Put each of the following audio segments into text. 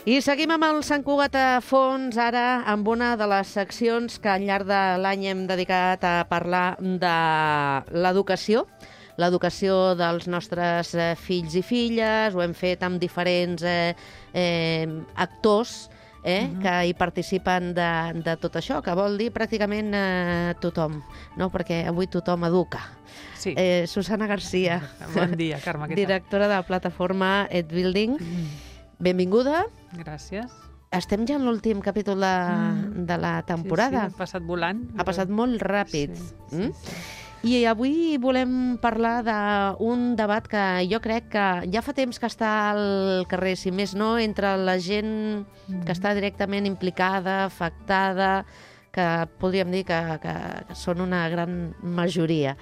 I seguim amb el Sant Cugat a fons, ara amb una de les seccions que al llarg de l'any hem dedicat a parlar de l'educació dels nostres fills i filles. Ho hem fet amb diferents actors que hi participen de tot això, que vol dir pràcticament tothom, no? Perquè avui tothom educa. Sí. Susana Garcia, Bon dia, Carme, què tal? directora de la plataforma EdBuilding. Benvinguda. Gràcies. Estem ja en l'últim capítol de la temporada. Sí, ha passat volant. Ha passat molt ràpid. Sí. I avui volem parlar d'un debat que jo crec que ja fa temps que està al carrer, si més no, entre la gent que està directament implicada, afectada, que podríem dir que són una gran majoria.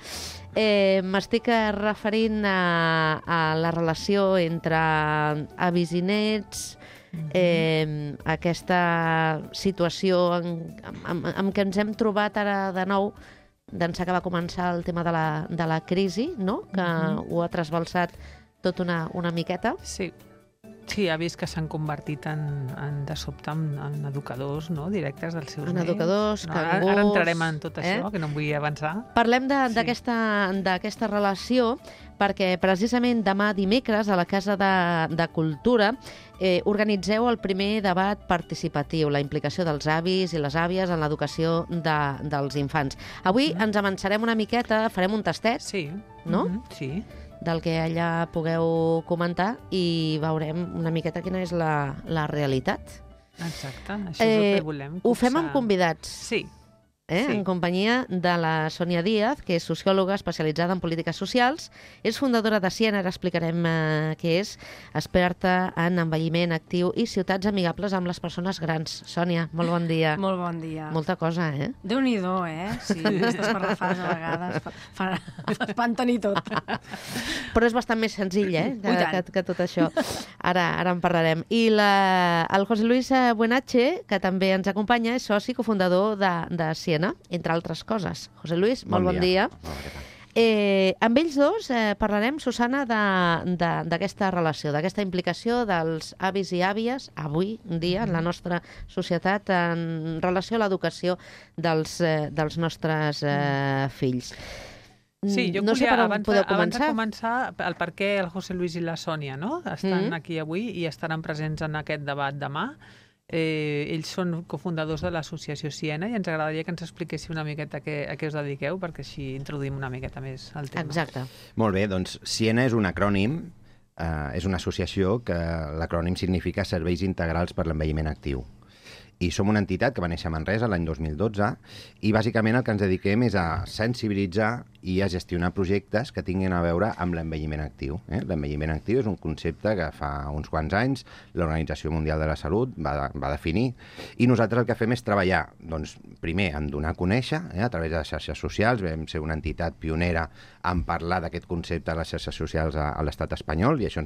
M'estic referint a la relació entre avis i nets, aquesta situació en què ens hem trobat ara de nou d'ençà que va començar el tema de la crisi, no? Que ho ha trasbalsat tot una miqueta. Sí, ha vist que s'han convertit de sobte en educadors, no?, directes dels seus nens. Educadors, cangurs... Ara entrarem en tot això, que no em vull avançar. Parlem d'aquesta relació perquè precisament demà dimecres a la Casa de Cultura organitzeu el primer debat participatiu, la implicació dels avis i les àvies en l'educació dels infants. Avui ens avançarem una miqueta, farem un tastet, no? Sí. Del que allà pugueu comentar i veurem una miqueta quina és la realitat. Exacte, això és el que volem. Ho fem amb convidats. Sí. En companyia de la Sònia Díaz, que és sociòloga especialitzada en polítiques socials, és fundadora de Siena, ara explicarem què és, experta en envelliment actiu i ciutats amigables amb les persones grans. Sònia, molt bon dia. Molt bon dia. Molta cosa, Déu-n'hi-do, Sí, aquestes parrafades a vegades fan tenir tot. Però és bastant més senzill, que tot això. Ara en parlarem. I el José Luis Buenache, que també ens acompanya, és soci cofundador de Siena, entre altres coses. José Luis, molt bon dia. Amb ells dos parlarem, Susana, d'aquesta relació, d'aquesta implicació dels avis i àvies, avui dia, en la nostra societat, en relació a l'educació dels nostres fills. Sí, jo no sé per on podeu abans de començar. començar, el per què el José Luis i la Sònia, no?, estan aquí avui i estaran presents en aquest debat demà. Ells són cofundadors de l'associació Siena i ens agradaria que ens expliquéssiu una miqueta a què us dediqueu, perquè així introduïm una miqueta més el tema. Exacte. Molt bé, doncs Siena és un acrònim, és una associació que l'acrònim significa Serveis Integrals per l'Envelliment Actiu. I som una entitat que va néixer a Manresa l'any 2012 i bàsicament el que ens dediquem és a sensibilitzar i a gestionar projectes que tinguin a veure amb l'envelliment actiu. L'envelliment actiu és un concepte que fa uns quants anys l'Organització Mundial de la Salut va definir i nosaltres el que fem és treballar, doncs, primer en donar a conèixer a través de les xarxes socials. Vam ser una entitat pionera en parlar d'aquest concepte a les xarxes socials a l'estat espanyol i això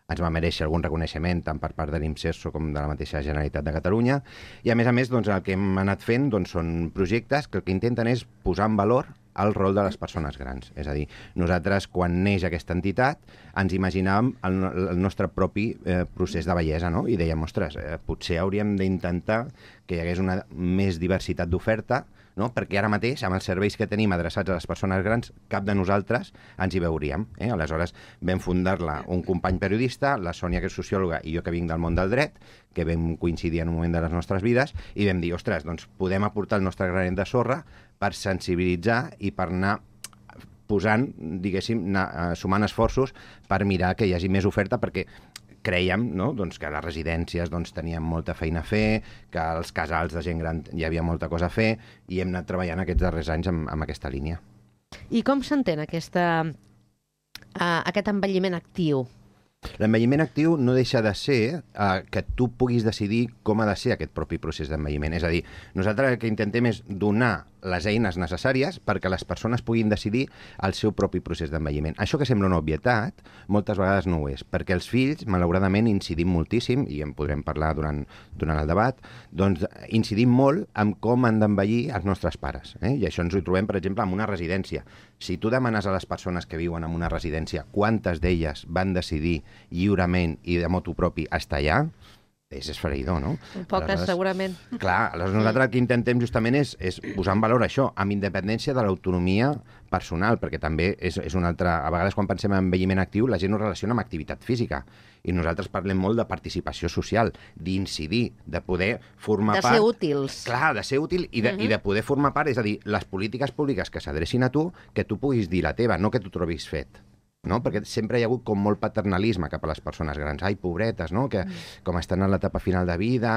ens va mereixer algun reconeixement tant per part de l'IMSERSO com de la mateixa Generalitat de Catalunya. I a més, doncs, el que hem anat fent són projectes que el que intenten és posar en valor el rol de les persones grans. És a dir, nosaltres, quan neix aquesta entitat, ens imaginàvem el nostre propi procés de vellesa, no? I dèiem, ostres, potser hauríem d'intentar que hi hagués una més diversitat d'oferta, no? Perquè ara mateix, amb els serveis que tenim adreçats a les persones grans, cap de nosaltres ens hi veuríem. Aleshores, vam fundar-la un company periodista, la Sònia, que és sociòloga, i jo, que vinc del món del dret, que vam coincidir en un moment de les nostres vides, i vam dir, ostres, doncs podem aportar el nostre granet de sorra per sensibilitzar i per anar posant, diguéssim, sumant esforços per mirar que hi hagi més oferta, perquè crèiem, no?, doncs, que les residències tenien molta feina a fer, que als casals de gent gran hi havia molta cosa a fer, i hem anat treballant aquests darrers anys amb aquesta línia. I com s'entén aquest envelliment actiu? L'envelliment actiu no deixa de ser que tu puguis decidir com ha de ser aquest propi procés d'envelliment. És a dir, nosaltres el que intentem és donar les eines necessàries perquè les persones puguin decidir el seu propi procés d'envelliment. Això que sembla una obvietat, moltes vegades no ho és, perquè els fills, malauradament, incidim moltíssim, i en podrem parlar durant el debat, doncs incidim molt en com han d'envellir els nostres pares. I això ens ho trobem, per exemple, en una residència. Si tu demanes a les persones que viuen en una residència quantes d'elles van decidir lliurement i de motu propi estar allà, és esfereïdor, no? Poques, segurament. Clar, aleshores nosaltres el que intentem justament és posar en valor això, amb independència de l'autonomia personal, perquè també és una altra... A vegades quan pensem en envelliment actiu, la gent ho relaciona amb activitat física, i nosaltres parlem molt de participació social, d'incidir, de poder formar part... De ser útils. Clar, de ser útil i de poder formar part, és a dir, les polítiques públiques que s'adrecin a tu, que tu puguis dir la teva, no que t'ho trobis fet. No? Perquè sempre hi ha hagut com molt paternalisme cap a les persones grans. Ai, pobretes, no? Que com estan a l'etapa final de vida,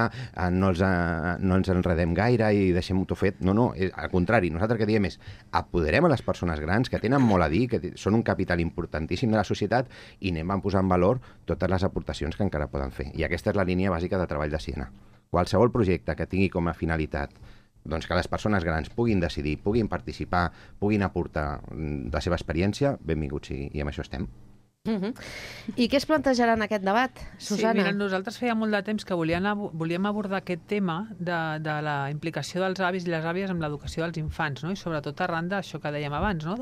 no ens enredem gaire i deixem-ho fet. No, al contrari, nosaltres que diem és apoderem a les persones grans, que tenen molt a dir, que són un capital importantíssim de la societat, i anem a posar en valor totes les aportacions que encara poden fer. I aquesta és la línia bàsica de treball de Siena. Qualsevol projecte que tingui com a finalitat doncs que les persones grans puguin decidir, puguin participar, puguin aportar la seva experiència, benvinguts sigui, i amb això estem. I què es plantejarà en aquest debat, Susana? Sí, mira, nosaltres feia molt de temps que volíem abordar aquest tema de la implicació dels avis i les àvies amb l'educació dels infants, no? I sobretot arran d'això que dèiem abans, no?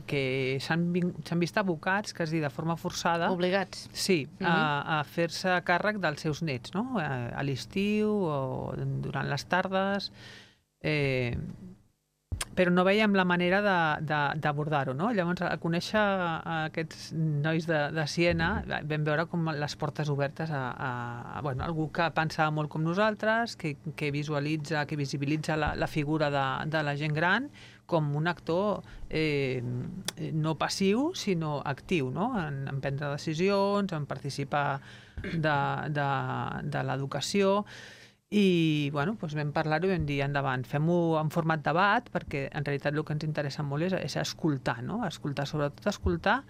Que s'han vist abocats, que és dir, de forma forçada... Obligats. Sí, a fer-se càrrec dels seus nets, no? A l'estiu o durant les tardes... però no veiem la manera d'abordar-ho, no? Llavors, a conèixer aquests nois de Siena, vam veure com les portes obertes a algú que pensa molt com nosaltres, que visibilitza la figura de la gent gran com un actor no passiu, sinó actiu, no? En prendre decisions, en participar de l'educació. I doncs vam parlar-ho i vam dir endavant, fem-ho en format debat, perquè en realitat el que ens interessa molt és escoltar, no? Sobretot escoltar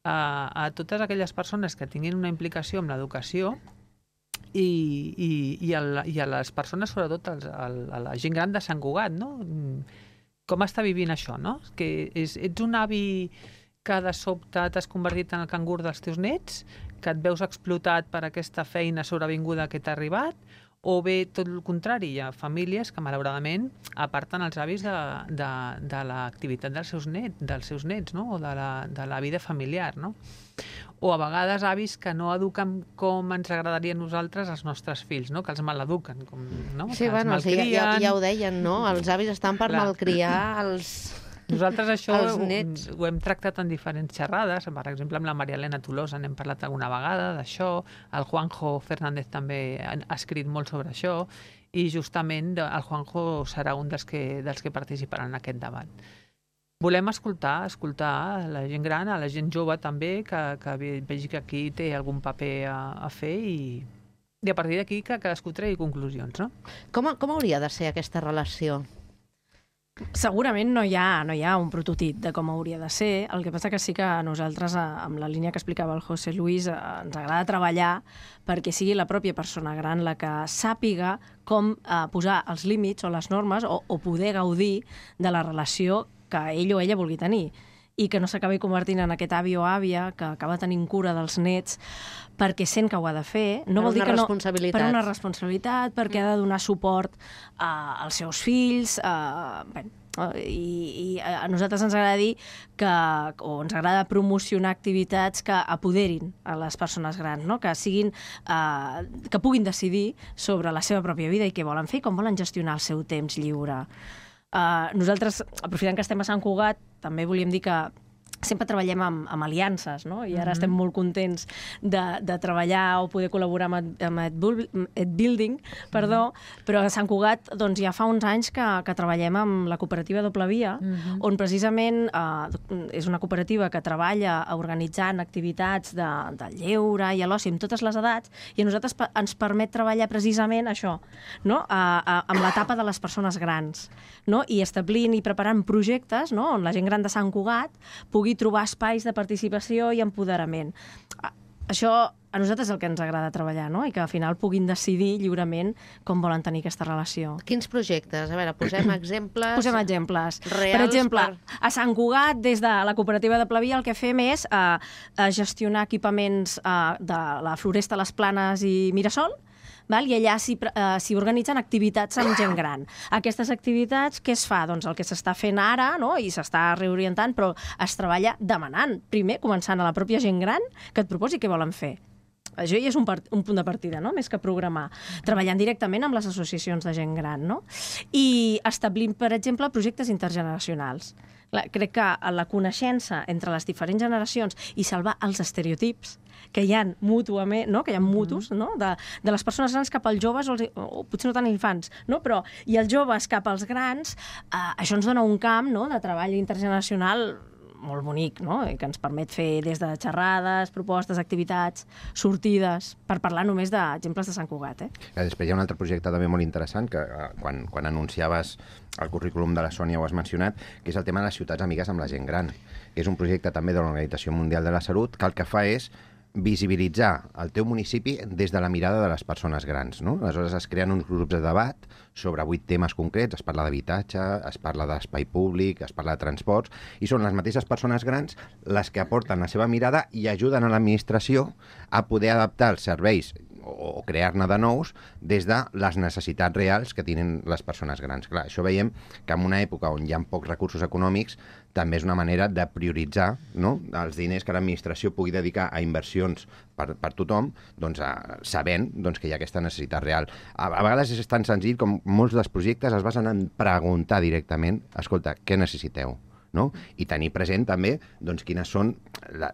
a totes aquelles persones que tinguin una implicació amb l'educació i a les persones, sobretot a la gent gran de Sant Cugat, no? Com està vivint això, no? Que ets un avi que de sobte t'has convertit en el cangur dels teus nets, que et veus explotat per aquesta feina sobrevinguda que t'ha arribat, o bé tot el contrari, hi ha famílies que malauradament aparten els avis de l'activitat dels seus nets, no? O de la vida familiar, no? O a vegades avis que no eduquen com ens agradaria a nosaltres els nostres fills, no? Que els maleduquen, no? Sí, ja ho deien, no? Els avis estan per malcriar els... Nosaltres això ho hem tractat en diferents xerrades, per exemple amb la Maria Elena Tolosa n'hem parlat alguna vegada d'això, el Juanjo Fernández també ha escrit molt sobre això, i justament el Juanjo serà un dels que participaran en aquest debat. Volem escoltar la gent gran, a la gent jove també, que vegi que aquí té algun paper a fer i a partir d'aquí que cadascú tregui conclusions, no? Com hauria de ser aquesta relació? Segurament no hi ha un prototip de com hauria de ser. El que passa que sí que a nosaltres, amb la línia que explicava el José Luis, ens agrada treballar perquè sigui la pròpia persona gran la que sàpiga com posar els límits o les normes o poder gaudir de la relació que ell o ella vulgui tenir, i que no s'acabi convertint en aquest avi o àvia que acaba tenint cura dels nets perquè sent que ho ha de fer. No vol dir que no, per una responsabilitat, perquè ha de donar suport als seus fills, i a nosaltres ens agrada dir o ens agrada promocionar activitats que apoderin a les persones grans, no? Que puguin decidir sobre la seva pròpia vida i què volen fer i com volen gestionar el seu temps lliure. Nosaltres, aprofitant que estem a Sant Cugat, també volíem dir que sempre treballem amb aliances, no? I ara estem molt contents de treballar o poder col·laborar amb EdBuilding, però a Sant Cugat ja fa uns anys que treballem amb la cooperativa Doble Via, on precisament és una cooperativa que treballa organitzant activitats del lleure i a l'oci amb totes les edats, i a nosaltres ens permet treballar precisament això, no? Amb l'etapa de les persones grans, no? I establint i preparant projectes, no? On la gent gran de Sant Cugat pugui trobar espais de participació i empoderament. Això a nosaltres és el que ens agrada treballar, no? I que al final puguin decidir lliurement com volen tenir aquesta relació. Quins projectes? A veure, posem exemples... Posem exemples. Reals. Per exemple, a Sant Cugat, des de la cooperativa de Plavia, el que fem és gestionar equipaments de la Floresta, les Planes i Mirasol, i allà s'hi organitzen activitats amb gent gran. Aquestes activitats, què es fa? Doncs el que s'està fent ara, no? I s'està reorientant, però es treballa demanant. Primer, començant a la pròpia gent gran, que et proposi què volen fer. això ja és un punt de partida, no? Més que programar. Treballant directament amb les associacions de gent gran, no? I establint, per exemple, projectes intergeneracionals. Crec que la coneixença entre les diferents generacions i salvar els estereotips que hi ha mútuament, no? Que hi ha mutus, no? De les persones grans cap als joves, o potser no tant infants, no? Però i els joves cap als grans, això ens dona un camp, no? De treball intergeneracional molt bonic, no? I que ens permet fer des de xerrades, propostes, activitats, sortides, per parlar només d'exemples de Sant Cugat. Després hi ha un altre projecte també molt interessant, que quan anunciaves el currículum de la Sònia ho has mencionat, que és el tema de les ciutats amigues amb la gent gran, que és un projecte també de l'Organització Mundial de la Salut, que el que fa és visibilitzar el teu municipi des de la mirada de les persones grans, no? Aleshores es creen uns grups de debat sobre 8 temes concrets, es parla d'habitatge, es parla d'espai públic, es parla de transports, i són les mateixes persones grans les que aporten la seva mirada i ajuden a l'administració a poder adaptar els serveis o crear-ne de nous des de les necessitats reals que tenen les persones grans. Clar, això veiem que en una època on hi ha pocs recursos econòmics també és una manera de prioritzar, no? Els diners que l'administració pugui dedicar a inversions per tothom, doncs, sabent que hi ha aquesta necessitat real. A vegades és tan senzill com molts dels projectes es basen en preguntar directament, escolta, què necessiteu? No? I tenir present també quines són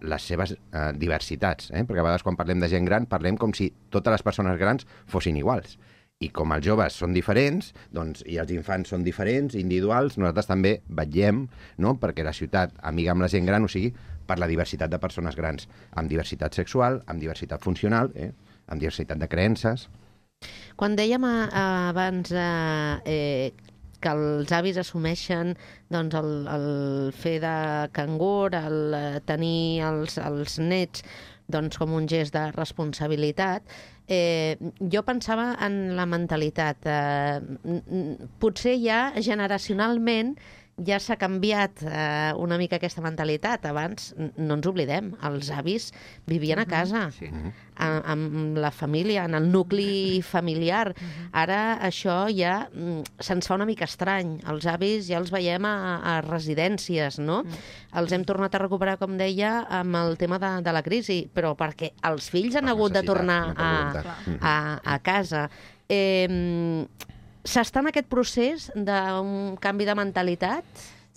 les seves diversitats, perquè a vegades quan parlem de gent gran parlem com si totes les persones grans fossin iguals. I com els joves són diferents, i els infants són diferents, individuals, nosaltres també vetllem, no? Perquè la ciutat amiga amb la gent gran, o sigui, per la diversitat de persones grans, amb diversitat sexual, amb diversitat funcional, amb diversitat de creences. Quan dèiem abans que els avis assumeixen el fer de cangur, el tenir els nets com un gest de responsabilitat, jo pensava en la mentalitat. Potser ja generacionalment ja s'ha canviat una mica aquesta mentalitat. Abans, no ens oblidem, els avis vivien a casa, amb la família, en el nucli familiar. Ara això ja se'ns fa una mica estrany. Els avis ja els veiem a residències, no? Els hem tornat a recuperar, com deia, amb el tema de la crisi, però perquè els fills han hagut de tornar a casa. S'està en aquest procés d'un canvi de mentalitat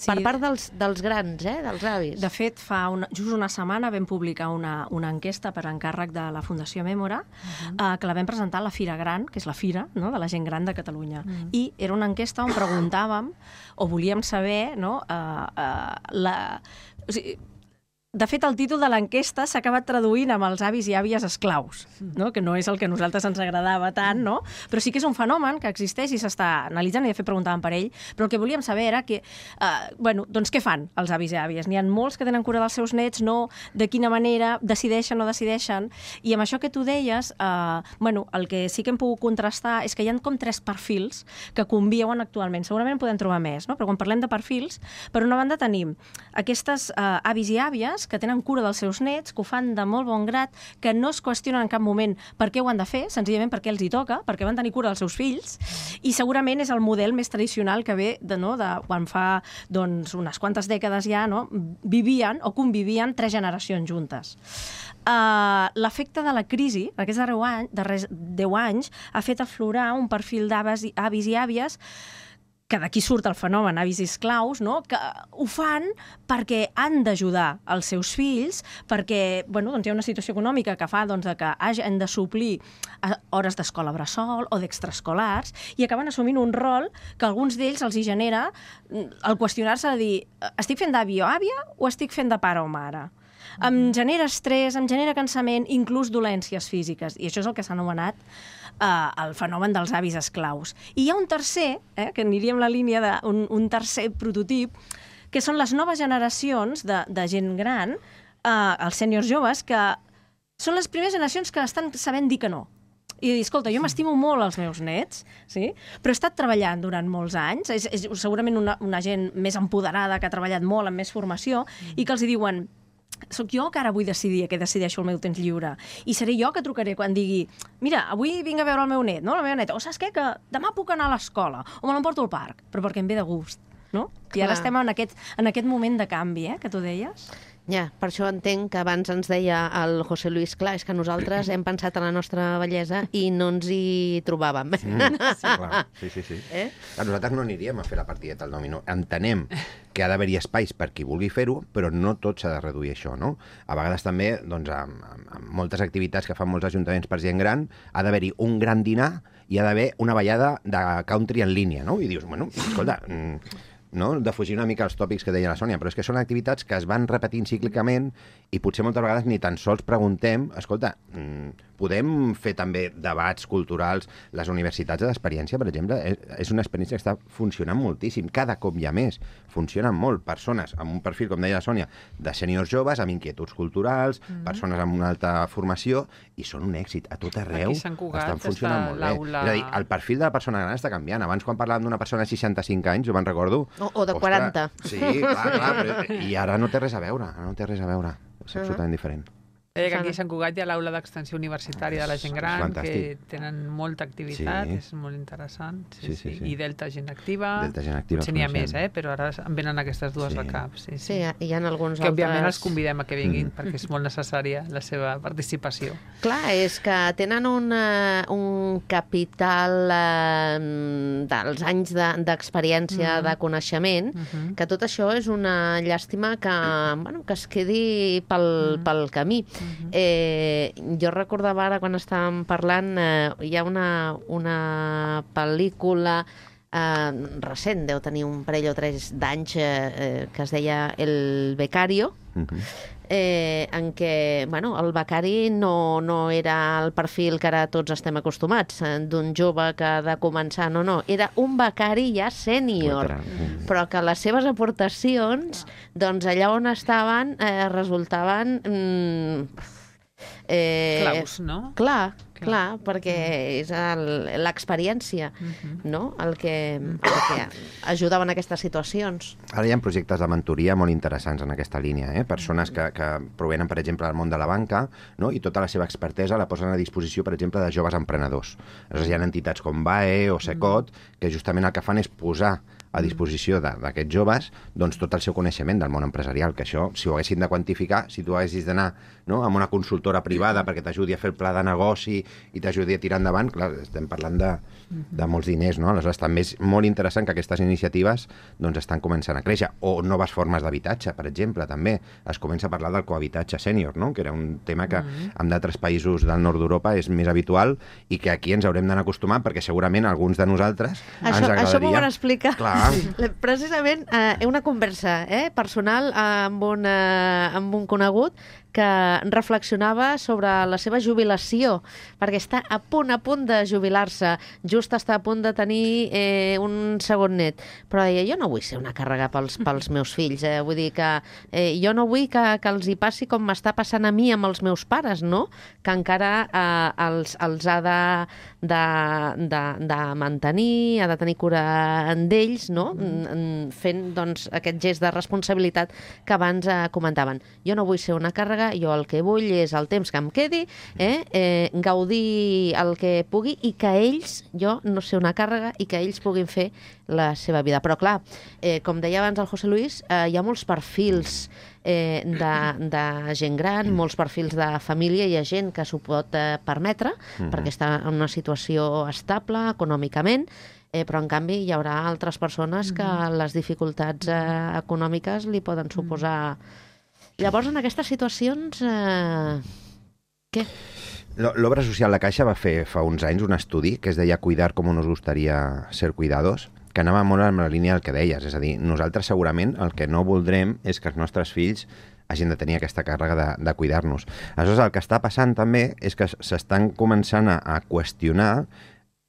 per part dels grans, dels avis. De fet, fa just una setmana vam publicar una enquesta per encàrrec de la Fundació Mèmora, que la vam presentar a la Fira Gran, que és la fira de la gent gran de Catalunya. I era una enquesta on preguntàvem, o volíem saber, de fet, el títol de l'enquesta s'ha acabat traduint amb els avis i àvies esclaus, que no és el que a nosaltres ens agradava tant, però sí que és un fenomen que existeix i s'està analitzant, i de fet preguntàvem per ell, però el que volíem saber era que, doncs què fan els avis i àvies? N'hi ha molts que tenen cura dels seus nets, de quina manera decideixen o no decideixen, i amb això que tu deies, el que sí que hem pogut contrastar és que hi ha com 3 perfils que conviuen actualment. Segurament en podem trobar més, però quan parlem de perfils, per una banda tenim aquestes avis i àvies que tenen cura dels seus nets, que ho fan de molt bon grat, que no es qüestionen en cap moment per què ho han de fer, senzillament perquè els hi toca, perquè van tenir cura dels seus fills, i segurament és el model més tradicional que ve de quan fa unes quantes dècades ja vivien o convivien 3 generacions juntes. L'efecte de la crisi, aquests darrers 10 anys, ha fet aflorar un perfil d'avis i àvies que d'aquí surt el fenomen avis i esclaus, que ho fan perquè han d'ajudar els seus fills, perquè hi ha una situació econòmica que fa que hagin de suplir hores d'escola bressol o d'extraescolars, i acaben assumint un rol que a alguns d'ells els hi genera el qüestionar-se de dir, estic fent d'avi o àvia o estic fent de pare o mare? Em genera estrès, em genera cansament, inclús dolències físiques, i això és el que s'ha anomenat el fenomen dels avis esclaus. I hi ha un tercer, que aniria en la línia d'un tercer prototip, que són les noves generacions de gent gran, els sèniors joves, que són les primeres generacions que estan sabent dir que no. I dir, escolta, jo m'estimo molt els meus nets, però he estat treballant durant molts anys, és segurament una gent més empoderada, que ha treballat molt, amb més formació, i que els diuen, soc jo que ara vull decidir què decideixo el meu temps lliure, i seré jo que trucaré quan digui, mira, avui vinc a veure el meu net, la meva neta, o saps què, que demà puc anar a l'escola, o me l'emporto al parc, però perquè em ve de gust, I ara estem en aquest moment de canvi, que tu deies. Ja, per això entenc que abans ens deia el José Luis, clar, és que nosaltres hem pensat en la nostra bellesa i no ens hi trobàvem. Clar, sí. Nosaltres no aniríem a fer la partideta al dominó. Entenem que ha d'haver-hi espais per qui vulgui fer-ho, però no tot s'ha de reduir a això, no? A vegades també, doncs, amb moltes activitats que fan molts ajuntaments per gent gran, ha d'haver-hi un gran dinar i ha d'haver una ballada de country en línia, no? I dius, bueno, escolta... no? De fugir una mica els tòpics que deia la Sònia, però és que són activitats que es van repetint cíclicament i potser moltes vegades ni tan sols preguntem, escolta, podem fer també debats culturals, les universitats d'experiència, per exemple, és una experiència que està funcionant moltíssim, cada cop hi ha més, funcionen molt, persones amb un perfil, com deia la Sònia, de sèniors joves, amb inquietuds culturals, persones amb una alta formació, i són un èxit, a tot arreu estan funcionant molt bé. És a dir, el perfil de la persona gran està canviant. Abans, quan parlàvem d'una persona de 65 anys, jo me'n recordo... O de 40. Sí, clar, però, i ara no té res a veure, és absolutament diferent. Que aquí a Sant Cugat hi ha l'aula d'extensió universitària de la gent gran, que tenen molta activitat, és molt interessant. Sí. I Delta Gent Activa. Potser n'hi ha més, però ara em venen aquestes dues al cap. Sí, hi ha alguns altres... Que òbviament els convidem a que vinguin, perquè és molt necessària la seva participació. Clar, és que tenen un capital dels anys d'experiència, de coneixement, que tot això és una llàstima que es quedi pel camí. Jo recordava ara, quan estàvem parlant, hi ha una pel·lícula recent, deu tenir un parell o 3 d'anys, que es deia El Becario, en què el becari no era el perfil que ara tots estem acostumats, d'un jove que ha de començar, no, era un becari ja sènior, però que les seves aportacions, doncs allà on estaven, resultaven... claus, no? Clar, perquè és l'experiència, no? el que ajudava en aquestes situacions. Ara hi ha projectes de mentoria molt interessants en aquesta línia, persones que provenen, per exemple, del món de la banca, no? I tota la seva expertesa la posen a disposició, per exemple, de joves emprenedors. Aleshores, hi ha entitats com BAE o Secot que justament el que fan és posar a disposició d'aquests joves doncs, tot el seu coneixement del món empresarial, que això, si ho haguessin de quantificar, si tu haguessis d'anar amb una consultora privada perquè t'ajudi a fer el pla de negoci i t'ajudi a tirar endavant, clar, estem parlant de molts diners, no? Aleshores, també és molt interessant que aquestes iniciatives doncs, estan començant a créixer. O noves formes d'habitatge, per exemple, també. Es comença a parlar del cohabitatge sènior, no? Que era un tema que en d'altres països del nord d'Europa és més habitual i que aquí ens haurem d'anar acostumant perquè segurament alguns de nosaltres ens agradaria... Això m'ho van explicar. Clar. Precisament una conversa personal amb un conegut que reflexionava sobre la seva jubilació, perquè està a punt de jubilar-se, just està a punt de tenir un segon net, però deia, jo no vull ser una càrrega pels meus fills, vull dir que jo no vull que els hi passi com m'està passant a mi amb els meus pares, no? Que encara els ha de mantenir, ha de tenir cura d'ells, no? Fent doncs, aquest gest de responsabilitat que abans comentaven. Jo no vull ser una càrrega, jo el que vull és el temps que em quedi, gaudir el que pugui i que ells, jo no ser una càrrega i que ells puguin fer la seva vida. Però clar, com deia abans el José Luis, hi ha molts perfils de gent gran, molts perfils de família, hi ha gent que s'ho pot permetre perquè està en una situació estable econòmicament, però en canvi hi haurà altres persones que les dificultats econòmiques li poden suposar. Llavors, en aquestes situacions, què? L'Obra Social La Caixa va fer fa uns anys un estudi que es deia Cuidar com nos gustaría ser cuidados, que anava molt en la línia del que deies, és a dir, nosaltres segurament el que no voldrem és que els nostres fills hagin de tenir aquesta càrrega de cuidar-nos. Aleshores, el que està passant també és que s'estan començant a qüestionar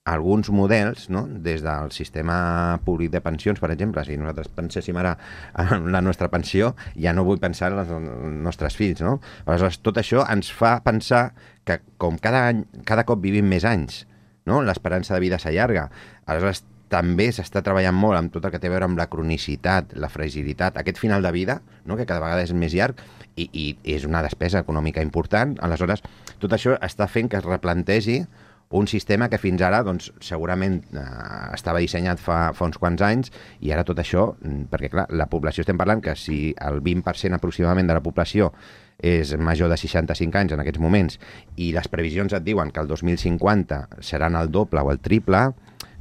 alguns models, no? Des del sistema públic de pensions, per exemple, si nosaltres penséssim ara en la nostra pensió, ja no vull pensar en els nostres fills, no? Aleshores, tot això ens fa pensar que com cada cop vivim més anys, no? L'esperança de vida s'allarga. Aleshores, també s'està treballant molt amb tot el que té a veure amb la cronicitat, la fragilitat, aquest final de vida, no? Que cada vegada és més llarg i és una despesa econòmica important. Aleshores, tot això està fent que es replantegi un sistema que fins ara doncs, segurament estava dissenyat fa uns quants anys i ara tot això, perquè clar, la població estem parlant que si el 20% aproximadament de la població és major de 65 anys en aquests moments i les previsions et diuen que el 2050 seran el doble o el triple,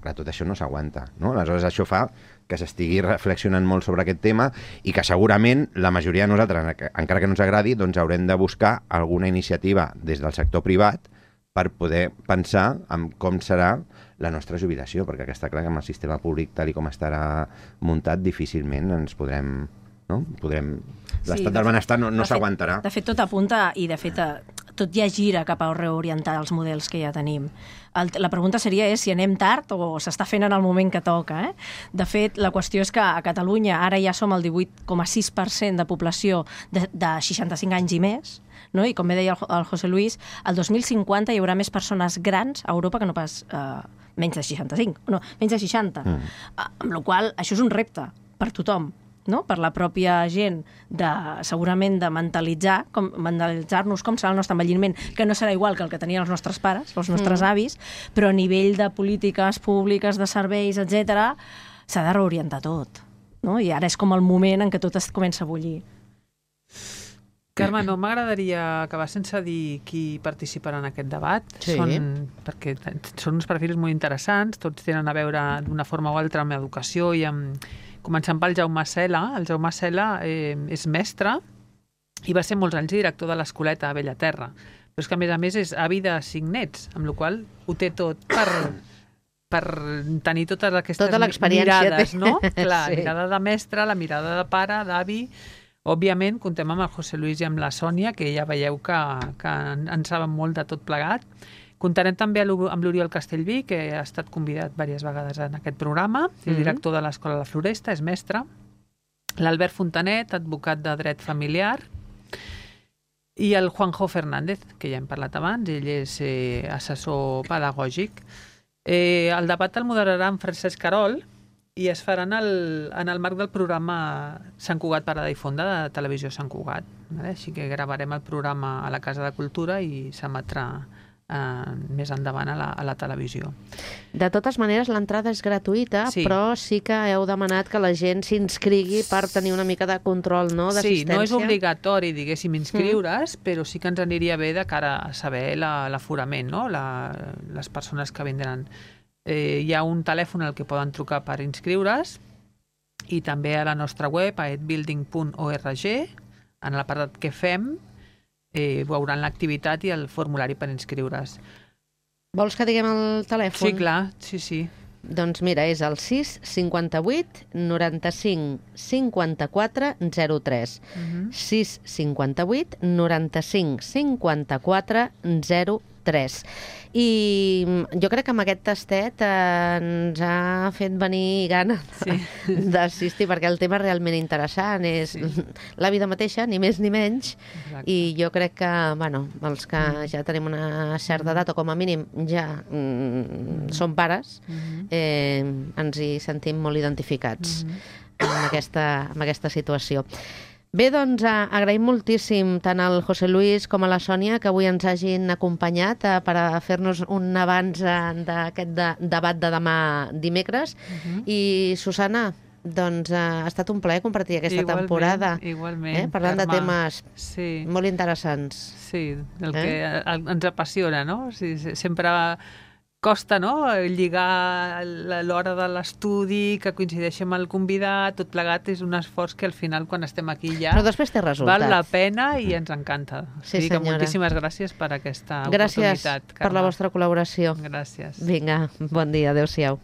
clar, tot això no s'aguanta, no? Aleshores això fa que s'estigui reflexionant molt sobre aquest tema i que segurament la majoria de nosaltres, encara que no ens agradi, doncs haurem de buscar alguna iniciativa des del sector privat per poder pensar en com serà la nostra jubilació, perquè està clar que amb el sistema públic tal i com estarà muntat difícilment ens podrem... No? L'estat del benestar no s'aguantarà. De fet, tot apunta i de fet tot ja gira cap a reorientar els models que ja tenim. La pregunta seria si anem tard o s'està fent en el moment que toca. De fet, la qüestió és que a Catalunya ara ja som el 18,6% de població de 65 anys i més, no? I com bé deia el José Luis, el 2050 hi haurà més persones grans a Europa que no pas menys de 65, no, menys de 60. Amb la qual cosa això és un repte per tothom. No? Per la pròpia gent, segurament de mentalitzar-nos com serà el nostre envelliment, que no serà igual que el que tenien els nostres pares, els nostres avis, però a nivell de polítiques públiques, de serveis, etc., s'ha de reorientar tot. No? I ara és com el moment en què tot es comença a bullir. Carme, no m'agradaria acabar sense dir qui participarà en aquest debat, perquè són uns perfils molt interessants, tots tenen a veure d'una forma o altra amb educació i amb... Començant pel Jaume Cela. El Jaume Cela és mestre i va ser molts anys director de l'Escoleta a Bellaterra. Però és que, a més, és avi de 5 nets, amb la qual cosa ho té tot per tenir totes aquestes mirades, no? Clar, la mirada de mestre, la mirada de pare, d'avi... Òbviament, contem amb el José Luis i amb la Sònia, que ja veieu que en saben molt de tot plegat. Comptarem també amb l'Oriol Castellví, que ha estat convidat diverses vegades en aquest programa, és director de l'Escola La Floresta, és mestre. L'Albert Fontanet, advocat de dret familiar. I el Juanjo Fernández, que ja hem parlat abans, ell és assessor pedagògic. El debat el moderarà en Francesc Carol i es farà en el marc del programa Sant Cugat Parada i Fonda de Televisió Sant Cugat. Així que gravarem el programa a la Casa de Cultura i s'emetrà més endavant a la televisió. De totes maneres, l'entrada és gratuïta, però sí que heu demanat que la gent s'inscrigui per tenir una mica de control, no?, d'assistència. Sí, no és obligatori, diguéssim, inscriure's, però sí que ens aniria bé de cara a saber l'aforament, no?, les persones que vindran. Hi ha un telèfon al que poden trucar per inscriure's i també a la nostra web, a edbuilding.org, en l'apartat que fem, veuran l'activitat i el formulari per inscriure's. Vols que diguem el telèfon? Sí, clar, sí. Doncs mira, és el 6 58 95 54 03. 6 58 95 54 03. I jo crec que amb aquest tastet ens ha fet venir gana d'assistir, perquè el tema és realment interessant, és la vida mateixa, ni més ni menys. Exacte. I jo crec que, bueno, els que ja tenim una certa edat, o com a mínim ja som pares, ens hi sentim molt identificats amb aquesta situació. Bé, doncs agraïm moltíssim tant al José Luis com a la Sònia que avui ens hagin acompanyat per a fer-nos un avanç d'aquest debat de demà dimecres. I Susana, doncs ha estat un plaer compartir aquesta temporada. Igualment, parlant de temes molt interessants. Sí, el que ens apassiona, no? Sempre costa, no?, lligar l'hora de l'estudi, que coincideixi amb el convidat, tot plegat és un esforç que al final, quan estem aquí ja... Però després té resultat. Val la pena i ens encanta. Sí, senyora. Moltíssimes gràcies per aquesta oportunitat, Gràcies per la vostra col·laboració. Gràcies. Vinga, bon dia, adéu-siau.